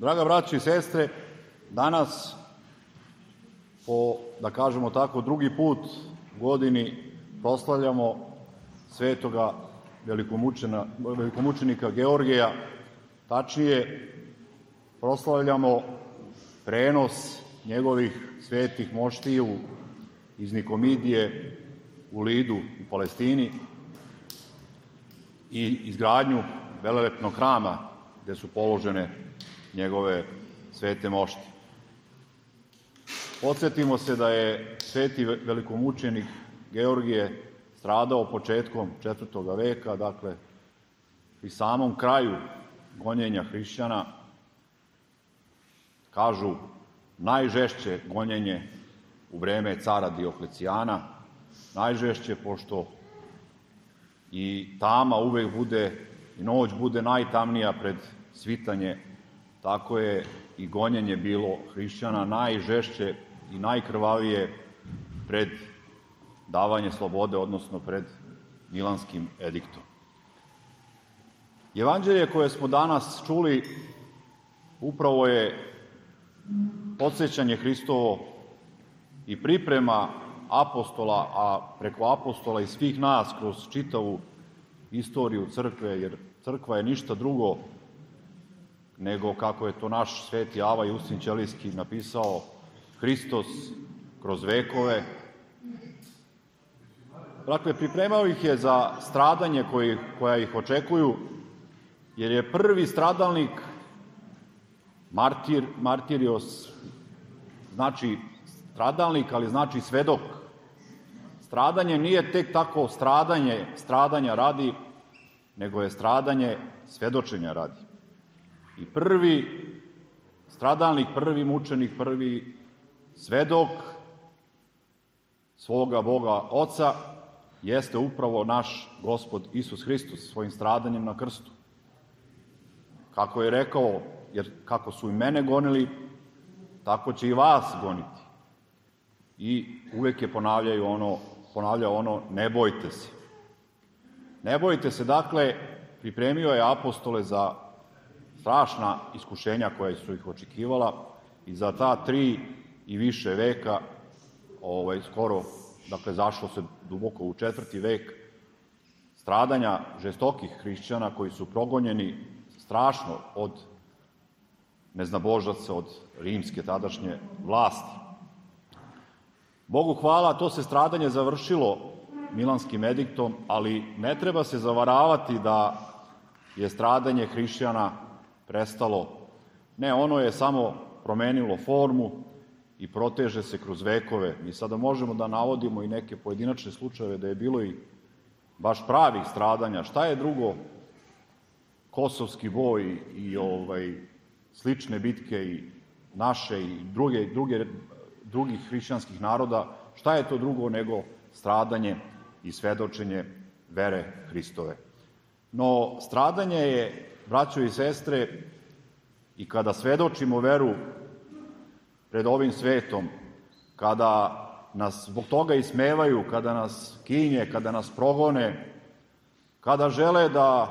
Draga braćo i sestre, danas po, da kažemo tako, drugi put u godini proslavljamo svetoga velikomučenika Georgija, tačnije proslavljamo prenos njegovih svetih moštiju iz Nikomidije u Lidu u Palestini i izgradnju velelepnog hrama gde su položene njegove svete moštije. Podsjetimo se da je sveti velikomučenik Georgije stradao početkom 4. veka, dakle pri samom kraju gonjenja hrišćana, kažu najžešće gonjenje u vreme cara Dioklecijana, najžešće pošto i tama uvek bude, i noć bude najtamnija pred svitanje, tako je i gonjenje bilo hrišćana najžešće i najkrvavije pred davanje slobode, odnosno pred Milanskim ediktom. Evanđelje koje smo danas čuli upravo je podsjećanje Hristovo i priprema apostola, a preko apostola i svih nas kroz čitavu istoriju crkve, jer crkva je ništa drugo nego, kako je to naš sveti Ava Justin Ćelijski napisao, Hristos kroz vekove. Dakle, pripremao ih je za stradanje koja ih očekuju, jer je prvi stradalnik martirios, znači stradalnik, ali znači svedok. Stradanje nije tek tako stradanja radi, nego je stradanje svedočenja radi. I prvi stradalnik, prvi mučenik, prvi svedok svoga Boga Oca jeste upravo naš Gospod Isus Hristos svojim stradanjem na krstu. Kako je rekao, jer kako su i mene gonili, tako će i vas goniti. I uvek je ponavljao ono, ne bojte se. Ne bojte se, dakle, pripremio je apostole za strašna iskušenja koja su ih očekivala i za ta 3 i više veka, skoro, dakle, zašlo se duboko u 4. vek, stradanja žestokih hrišćana koji su progonjeni strašno od neznabožaca, od rimske tadašnje vlasti. Bogu hvala, to se stradanje završilo Milanskim ediktom, ali ne treba se zavaravati da je stradanje hrišćana prestalo. Ne, ono je samo promenilo formu i proteže se kroz vekove. Mi sada možemo da navodimo i neke pojedinačne slučajeve da je bilo i baš pravih stradanja. Šta je drugo Kosovski boj i slične bitke i naše i drugih hrišćanskih naroda, šta je to drugo nego stradanje i svedočenje vere Hristove. No, stradanje je, braćo i sestre, i kada svedočimo veru pred ovim svetom, kada nas zbog toga ismevaju, kada nas kinje, kada nas progone, kada žele da,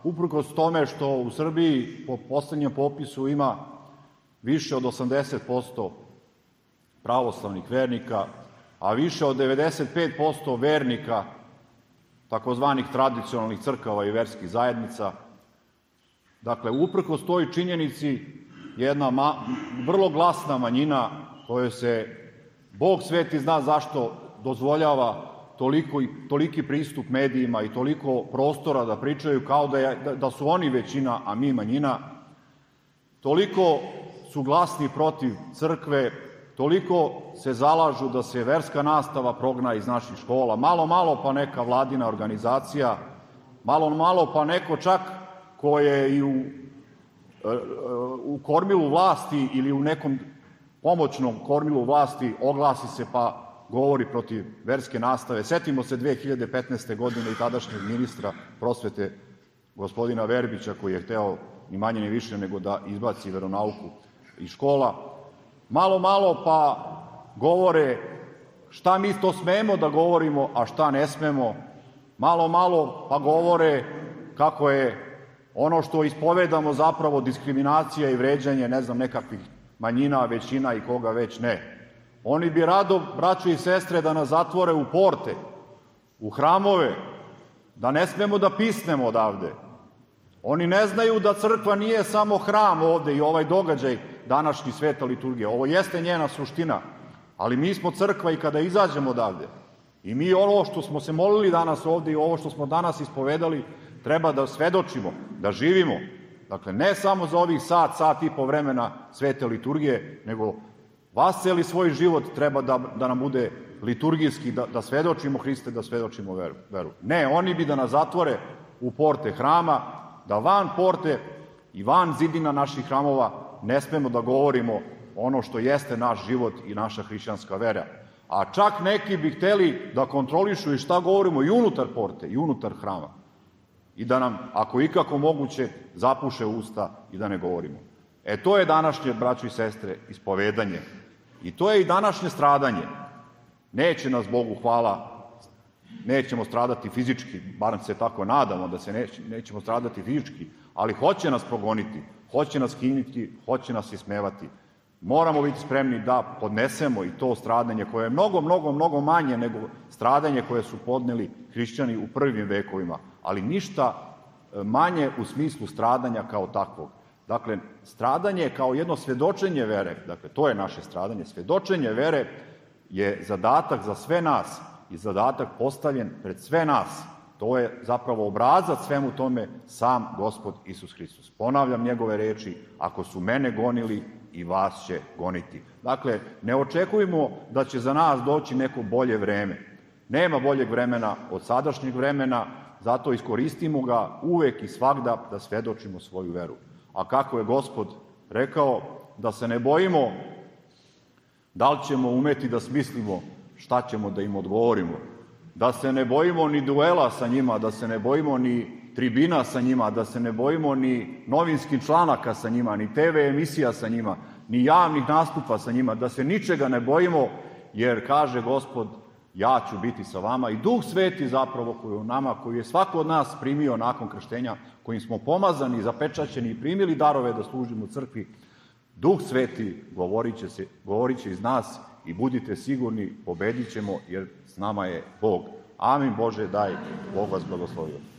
uprkos tome što u Srbiji po poslednjem popisu ima više od 80% pravoslavnih vernika, a više od 95% vernika takozvanih tradicionalnih crkava i verskih zajednica. Dakle, uprkos toj činjenici, jedna vrlo glasna manjina kojoj se Bog sveti zna zašto dozvoljava toliki pristup medijima i toliko prostora da pričaju kao da su oni većina, a mi manjina, toliko su glasni protiv crkve, toliko se zalažu da se verska nastava progna iz naših škola, malo pa neka vladina organizacija, malo pa neko čak ko je i u kormilu vlasti ili u nekom pomoćnom kormilu vlasti oglasi se pa govori protiv verske nastave. Setimo se 2015. godine i tadašnjeg ministra prosvete, gospodina Verbića, koji je hteo ni manje ni više nego da izbaci veronauku iz škola. Malo pa govore šta mi to smemo da govorimo, a šta ne smemo. Malo pa govore kako je ono što ispovedamo zapravo diskriminacija i vređanje, ne znam, nekakvih manjina, većina i koga već ne. Oni bi rado, braćo i sestre, da nas zatvore u porte, u hramove, da ne smemo da pisnemo odavde. Oni ne znaju da crkva nije samo hram ovde i ovaj događaj današnji sveta liturgija. Ovo jeste njena suština, ali mi smo crkva i kada izađemo odavde. I mi ovo što smo se molili danas ovde i ovo što smo danas ispovedali treba da svedočimo, da živimo. Dakle, ne samo za ovih sat i po vremena svete liturgije, nego vasceli svoj život treba da nam bude liturgijski, da svedočimo Hriste, da svedočimo veru. Ne, oni bi da nas zatvore u porte hrama, da van porte i van zidina naših hramova ne smemo da govorimo ono što jeste naš život i naša hrišćanska vera. A čak neki bi hteli da kontrolišu i šta govorimo i unutar porte, i unutar hrama. I da nam, ako ikako moguće, zapuše usta i da ne govorimo. To je današnje, braćo i sestre, ispovedanje. I to je i današnje stradanje. Neće nas, Bogu hvala, nećemo stradati fizički, barem se tako nadamo da se nećemo stradati fizički, ali hoće nas progoniti, hoće nas kiniti, hoće nas ismevati. Moramo biti spremni da podnesemo i to stradanje koje je mnogo manje nego stradanje koje su podneli hrišćani u prvim vekovima, ali ništa manje u smislu stradanja kao takvog. Dakle, stradanje kao jedno svedočenje vere, dakle, to je naše stradanje, svedočenje vere je zadatak za sve nas i zadatak postavljen pred sve nas. To je zapravo obrazac svemu tome sam Gospod Isus Hristos. Ponavljam njegove reči, ako su mene gonili, i vas će goniti. Dakle, ne očekujemo da će za nas doći neko bolje vreme. Nema boljeg vremena od sadašnjeg vremena, zato iskoristimo ga uvek i svagda da svedočimo svoju veru. A kako je Gospod rekao, da se ne bojimo da li ćemo umeti da smislimo šta ćemo da im odgovorimo, da se ne bojimo ni duela sa njima, da se ne bojimo ni tribina sa njima, da se ne bojimo ni novinskih članaka sa njima, ni TV emisija sa njima, ni javnih nastupa sa njima, da se ničega ne bojimo, jer kaže Gospod, ja ću biti sa vama i Duh Sveti zapravo koji je u nama, koji je svako od nas primio nakon krštenja, kojim smo pomazani, zapečaćeni i primili darove da služimo u crkvi, Duh Sveti govorit će iz nas i budite sigurni, pobedit ćemo jer s nama je Bog. Amin Bože, daj, Bog vas blagoslovio.